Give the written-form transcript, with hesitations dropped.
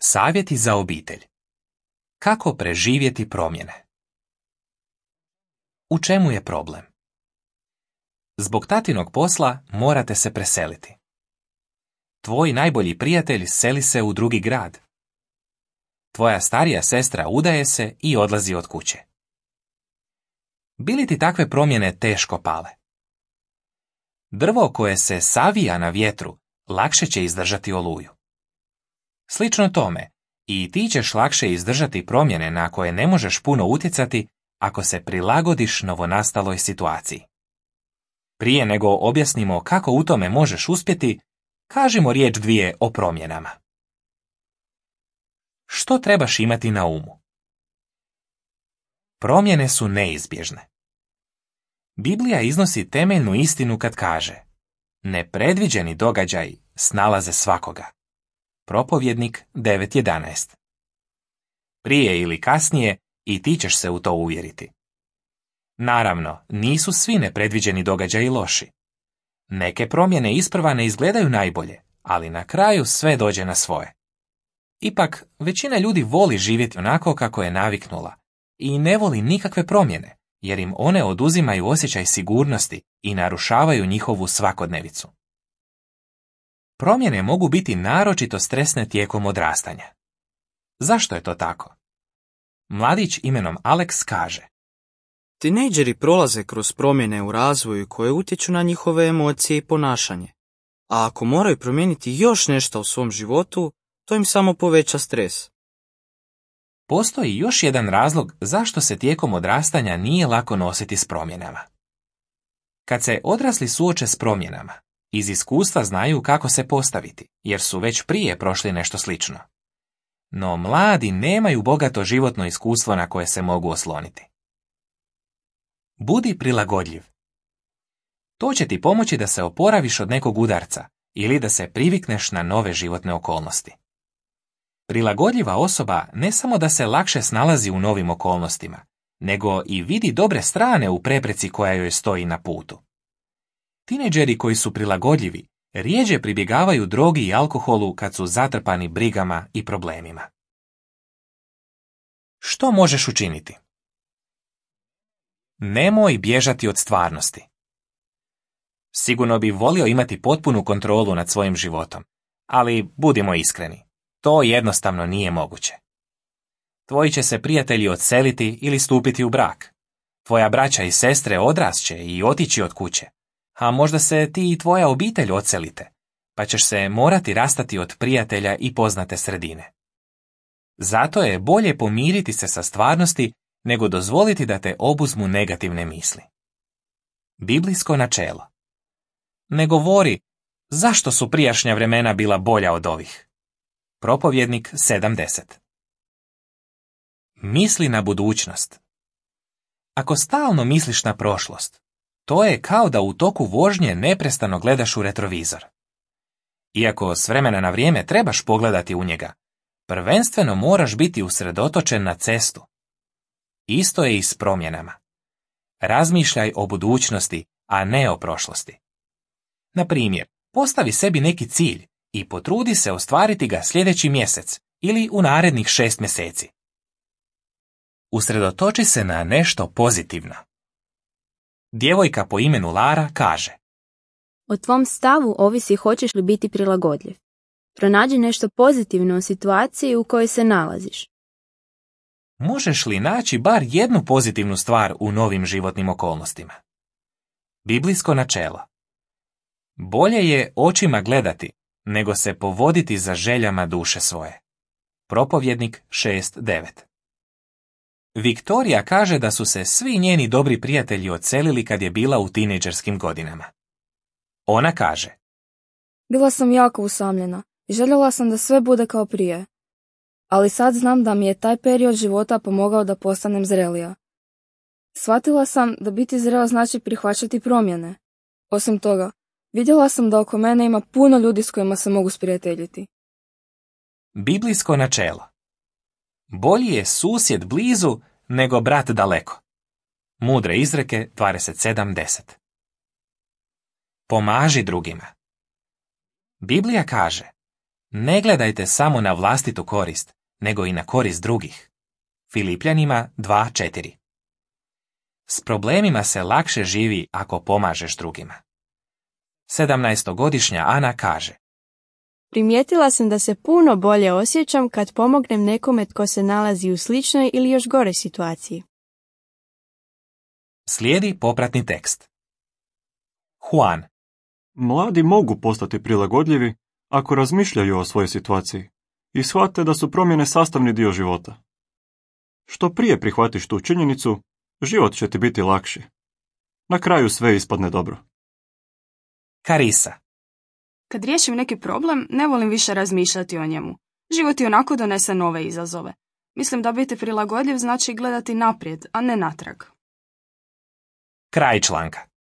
Savjeti za obitelj. Kako preživjeti promjene? U čemu je problem? Zbog tatinog posla morate se preseliti. Tvoj najbolji prijatelj seli se u drugi grad. Tvoja starija sestra udaje se i odlazi od kuće. Bi li ti takve promjene teško pale? Drvo koje se savija na vjetru lakše će izdržati oluju. Slično tome, i ti ćeš lakše izdržati promjene na koje ne možeš puno utjecati ako se prilagodiš novonastaloj situaciji. Prije nego objasnimo kako u tome možeš uspjeti, kažimo riječ dvije o promjenama. Što trebaš imati na umu? Promjene su neizbježne. Biblija iznosi temeljnu istinu kad kaže: nepredviđeni događaji snalaze svakoga. Propovjednik 9.11. Prije ili kasnije i ti ćeš se u to uvjeriti. Naravno, nisu svi nepredviđeni događaji loši. Neke promjene isprva ne izgledaju najbolje, ali na kraju sve dođe na svoje. Ipak, većina ljudi voli živjeti onako kako je naviknula i ne voli nikakve promjene, jer im one oduzimaju osjećaj sigurnosti i narušavaju njihovu svakodnevicu. Promjene mogu biti naročito stresne tijekom odrastanja. Zašto je to tako? Mladić imenom Alex kaže: Tinejdžeri prolaze kroz promjene u razvoju koje utječu na njihove emocije i ponašanje. A ako moraju promijeniti još nešto u svom životu, to im samo poveća stres. Postoji još jedan razlog zašto se tijekom odrastanja nije lako nositi s promjenama. Kad se odrasli suoče s promjenama, iz iskustva znaju kako se postaviti, jer su već prije prošli nešto slično. No mladi nemaju bogato životno iskustvo na koje se mogu osloniti. Budi prilagodljiv. To će ti pomoći da se oporaviš od nekog udarca ili da se privikneš na nove životne okolnosti. Prilagodljiva osoba ne samo da se lakše snalazi u novim okolnostima, nego i vidi dobre strane u prepreci koja joj stoji na putu. Tinejdžeri koji su prilagodljivi rjeđe pribjegavaju drogi i alkoholu kad su zatrpani brigama i problemima. Što možeš učiniti? Nemoj bježati od stvarnosti. Sigurno bi volio imati potpunu kontrolu nad svojim životom, ali budimo iskreni, to jednostavno nije moguće. Tvoji će se prijatelji odseliti ili stupiti u brak. Tvoja braća i sestre odrasće i otići od kuće, a možda se ti i tvoja obitelj odselite, pa ćeš se morati rastati od prijatelja i poznate sredine. Zato je bolje pomiriti se sa stvarnosti nego dozvoliti da te obuzmu negativne misli. Biblijsko načelo. Ne govori: zašto su prijašnja vremena bila bolja od ovih. Propovjednik 7.10. Misli na budućnost. Ako stalno misliš na prošlost, to je kao da u toku vožnje neprestano gledaš u retrovizor. Iako s vremena na vrijeme trebaš pogledati u njega, prvenstveno moraš biti usredotočen na cestu. Isto je i s promjenama. Razmišljaj o budućnosti, a ne o prošlosti. Na primjer, postavi sebi neki cilj i potrudi se ostvariti ga sljedeći mjesec ili u narednih 6 mjeseci. Usredotoči se na nešto pozitivno. Djevojka po imenu Lara kaže: O tvom stavu ovisi hoćeš li biti prilagodljiv. Pronađi nešto pozitivno u situaciji u kojoj se nalaziš. Možeš li naći bar jednu pozitivnu stvar u novim životnim okolnostima? Biblijsko načelo. Bolje je očima gledati, nego se povoditi za željama duše svoje. Propovjednik 6.9. Viktorija kaže da su se svi njeni dobri prijatelji odselili kad je bila u tinejdžerskim godinama. Ona kaže: Bila sam jako usamljena i željela sam da sve bude kao prije. Ali sad znam da mi je taj period života pomogao da postanem zrelija. Shvatila sam da biti zrela znači prihvaćati promjene. Osim toga, vidjela sam da oko mene ima puno ljudi s kojima se mogu sprijateljiti. Biblijsko načelo. Bolji je susjed blizu nego brat daleko. Mudre izreke 27.10. Pomaži drugima. Biblija kaže: Ne gledajte samo na vlastitu korist, nego i na korist drugih. Filipljanima 2:4. S problemima se lakše živi ako pomažeš drugima. 17-godišnja Ana kaže: Primijetila sam da se puno bolje osjećam kad pomognem nekome tko se nalazi u sličnoj ili još goroj situaciji. Slijedi popratni tekst. Juan: Mladi mogu postati prilagodljivi ako razmišljaju o svojoj situaciji i shvate da su promjene sastavni dio života. Što prije prihvatiš tu činjenicu, život će ti biti lakši. Na kraju sve ispadne dobro. Karisa: Kad riješim neki problem, ne volim više razmišljati o njemu. Život i onako donese nove izazove. Mislim da biti prilagodljiv znači gledati naprijed, a ne natrag. Kraj članka.